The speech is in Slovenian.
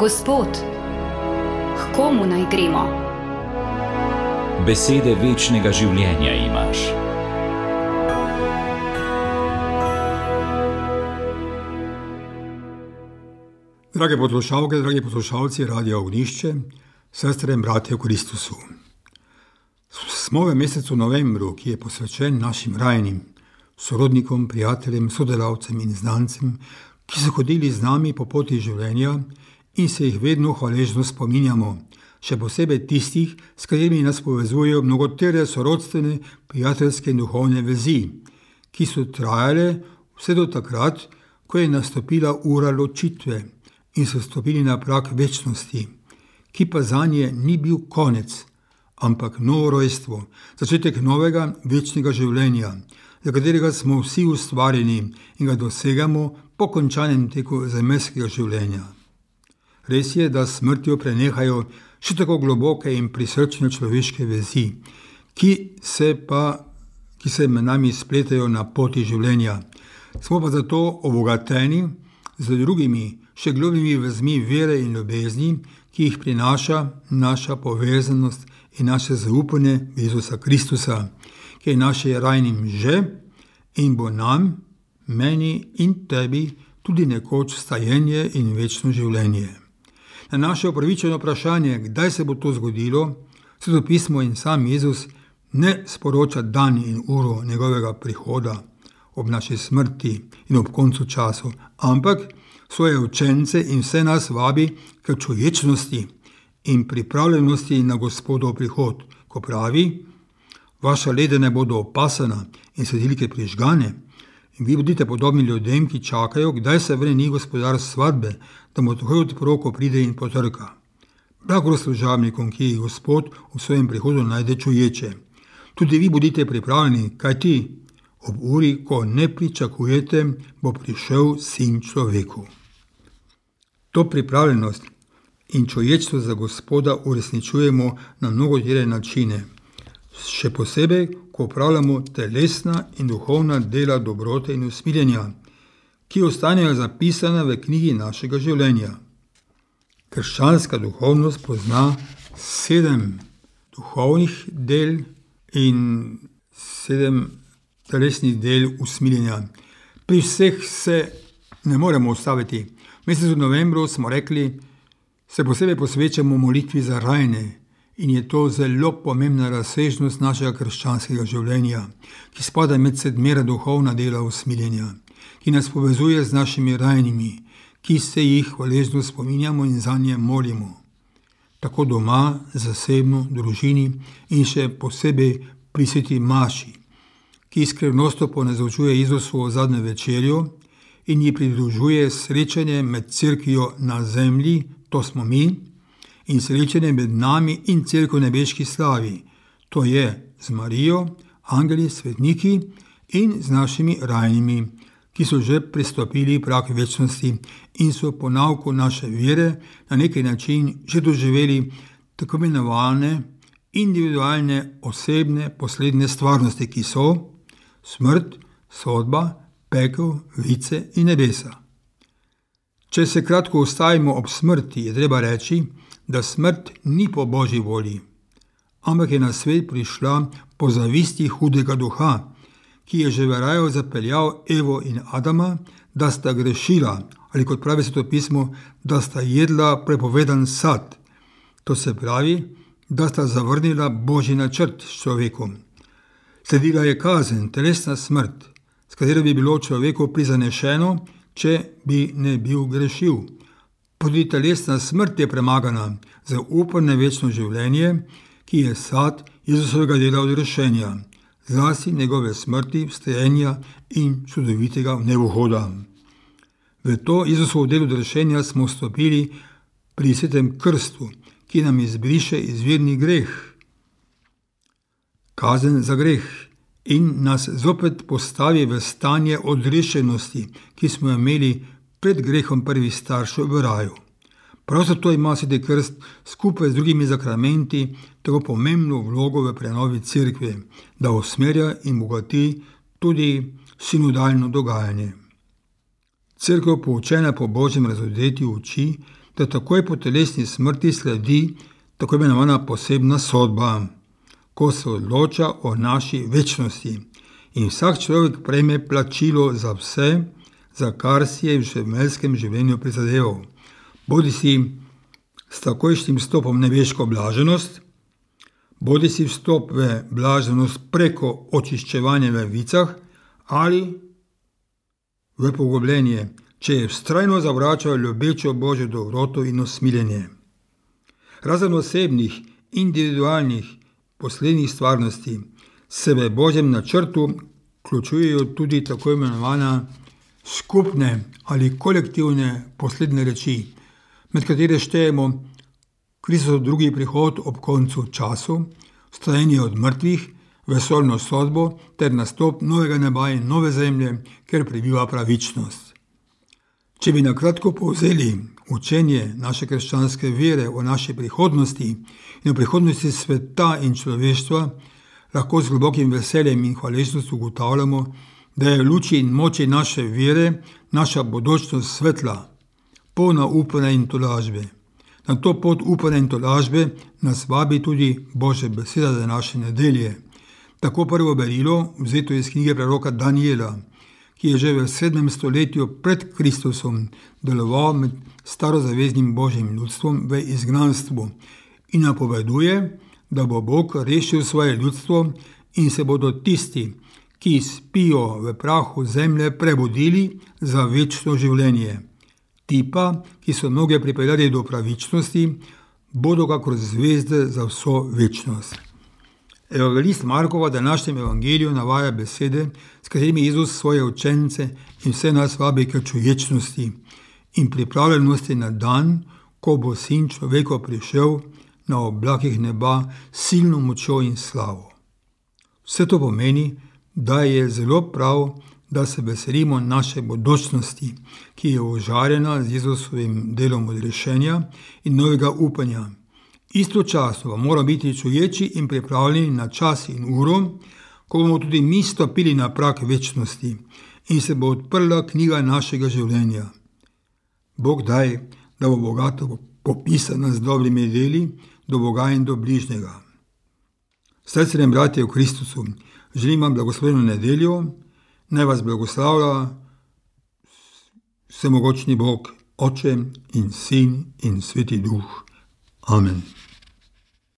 Gospod, k komu naj gremo? Besede večnega življenja imaš. Drage poslušalke, dragi poslušalci Radia Ognjišče, sestre in bratje v Kristusu. Smo v mesecu novembru, ki je posvečen našim rajnim, sorodnikom, prijateljem, sodelavcem in znancem, ki so hodili z nami po poti življenja in se jih vedno hvaležno spominjamo, še posebej tistih, s katerimi nas povezujejo mnogotere sorodstvene, prijateljske in duhovne vezi, ki so trajale vse do takrat, ko je nastopila ura ločitve in so stopili na prag večnosti, ki pa zanje ni bil konec, ampak novo rojstvo, začetek novega večnega življenja, za katerega smo vsi ustvarjeni in ga dosegamo po končanem teku zemeljskega življenja. Res je, da s smrtjo prenehajo še tako globoke in prisrčne človeške vezi, ki se med nami spletajo na poti življenja. Smo pa zato obogateni z drugimi, še globljimi vezmi vere in ljubezni, ki jih prinaša naša povezanost in naše zaupanje v Jezusa Kristusa, ki je naše rajnim že in bo nam, meni in tebi tudi nekoč stajenje in večno življenje. Na naše upravičeno vprašanje, kdaj se bo to zgodilo, Sveto pismo in sam Jezus ne sporoča dan in uro njegovega prihoda ob naši smrti in ob koncu času, ampak svoje učence in vse nas vabi k čuječnosti in pripravljenosti na Gospodov prihod, ko pravi: vaša leda ne bodo opasana in svetilke prižgane, in vi bodite podobni ljudem, ki čakajo, kdaj se vrne gospodar svadbe, da mu takoj odpro, ko pride in potrka. Blago služabnikom, ki jih Gospod v svojem prihodu najde čuječe. Tudi vi bodite pripravljeni, kajti ob uri, ko ne pričakujete, bo prišel Sin človeku. To pripravljenost in čuječstvo za Gospoda uresničujemo na mnogotere načine, še posebej, ko opravljamo telesna in duhovna dela dobrote in usmiljenja, ki ostanejo zapisane v knjigi našega življenja. Krščanska duhovnost pozna 7 duhovnih del in 7 telesnih del usmiljenja. Pri vseh se ne moremo ustaviti. V mesecu novembru smo rekli, se posebej posvečamo molitvi za rajne, in je to zelo pomembna razsežnost našega krščanskega življenja, ki spada med 7 duhovna dela usmiljenja, ki nas povezuje z našimi rajnimi, ki se jih hvaležno spominjamo in zanje molimo. Tako doma, zasebno, družini in še posebej pri sveti maši, ki skrivnostno ponazorčuje Jezusovo zadnjo večerjo in ji pridružuje srečanje med cerkvijo na zemlji, to smo mi, in srečanje med nami in cerkev v nebeški slavi, to je z Marijo, angeli, svetniki in z našimi rajnimi, ki so že prestopili prag večnosti in so po nauku naše vere na neki način že doživeli tako imenovane individualne, osebne, poslednje stvarnosti, ki so smrt, sodba, pekel, vice in nebesa. Če se kratko ustavimo ob smrti, je treba reči, da smrt ni po Božji volji, ampak je na svet prišla po zavisti hudega duha, ki je že v raju zapeljal Evo in Adama, da sta grešila, ali kot pravi Sveto pismo, da sta jedla prepovedan sad. To se pravi, da sta zavrnila Božji načrt s človekom. Sledila je kazen, telesna smrt, s katero bi bilo človeku prizanešeno, če bi ne bil grešil. Tudi telesna smrt je premagana za upanje večno življenje, ki je sad Jezusovega dela odrešenja, zlasti njegove smrti, vstajenja in čudovitega vnevohoda. V to Jezusovo delo odrešenja smo vstopili pri svetem krstu, ki nam izbriše izvirni greh, kazen za greh, in nas zopet postavi v stanje odrešenosti, ki smo jo imeli pred grehom prvih staršev v raju. Prav zato ima sveti krst skupaj z drugimi zakramenti tako pomembno vlogo v prenovi cerkve, da usmerja in bogati tudi sinodalno dogajanje. Cerkev, poučena po Božjem razodetju, uči, da takoj po telesni smrti sledi tako imenovana posebna sodba, ko se odloča o naši večnosti in vsak človek prejme plačilo za vse, za kar si je v življenjskem življenju prizadeval. Bodisi s takojšnjim vstopom v nebeško blaženost, bodisi vstop v blaženost preko očiščevanja v vicah ali v pogubljenje, če je vztrajno zavračal ljubečo Božjo dobroto in usmiljenje. Razen osebnih, individualnih, poslednjih stvarnosti se v Božjem načrtu vključujejo tudi tako imenovane skupne ali kolektivne poslednje reči, med katere štejemo Kristov drugi prihod ob koncu času, vstajanje od mrtvih, vesoljno sodbo ter nastop novega neba in nove zemlje, kjer prebiva pravičnost. Če bi na kratko povzeli učenje naše krščanske vere o naši prihodnosti in o prihodnosti sveta in človeštva, lahko z globokim veseljem in hvaležnostjo ugotavljamo, da je v luči in moči naše vere naša bodočnost svetla, polna upanja in tolažbe. Na to pot upanja in tolažbe nas vabi tudi Božja beseda za naše nedelje. Tako prvo berilo, vzeto iz knjige preroka Daniela, ki je že v 7. stoletju pred Kristusom deloval med starozaveznim Božjim ljudstvom v izgnanstvu in napoveduje, da bo Bog rešil svoje ljudstvo in se bodo tisti, ki spijo v prahu zemlje, prebudili za večno življenje. Ti pa, ki so mnoge pripeljali do pravičnosti, bodo kakor zvezde za vso večnost. Evangelist Markova v današnjem evangeliju navaja besede, s katerimi Jezus svoje učence in vse nas vabi k čuječnosti in pripravljenosti na dan, ko bo Sin človekov prišel na oblakih neba s silno močjo in slavo. Vse to pomeni, da je zelo prav, da se veselimo naše bodočnosti, ki je ožarjena z Jezusovim delom odrešenja in novega upanja. Istočasno pa moramo biti čuječi in pripravljeni na čas in uro, ko bomo tudi mi stopili na prag večnosti in se bo odprla knjiga našega življenja. Bog daj, da bo bogato popisana z dobrimi deli do Boga in do bližnjega. Srcem bratje v Kristusu, želim vam blagosloveno nedeljo, naj vas blagoslavlja vsemogočni Bog, Oče in Sin in Sveti Duh. Amen.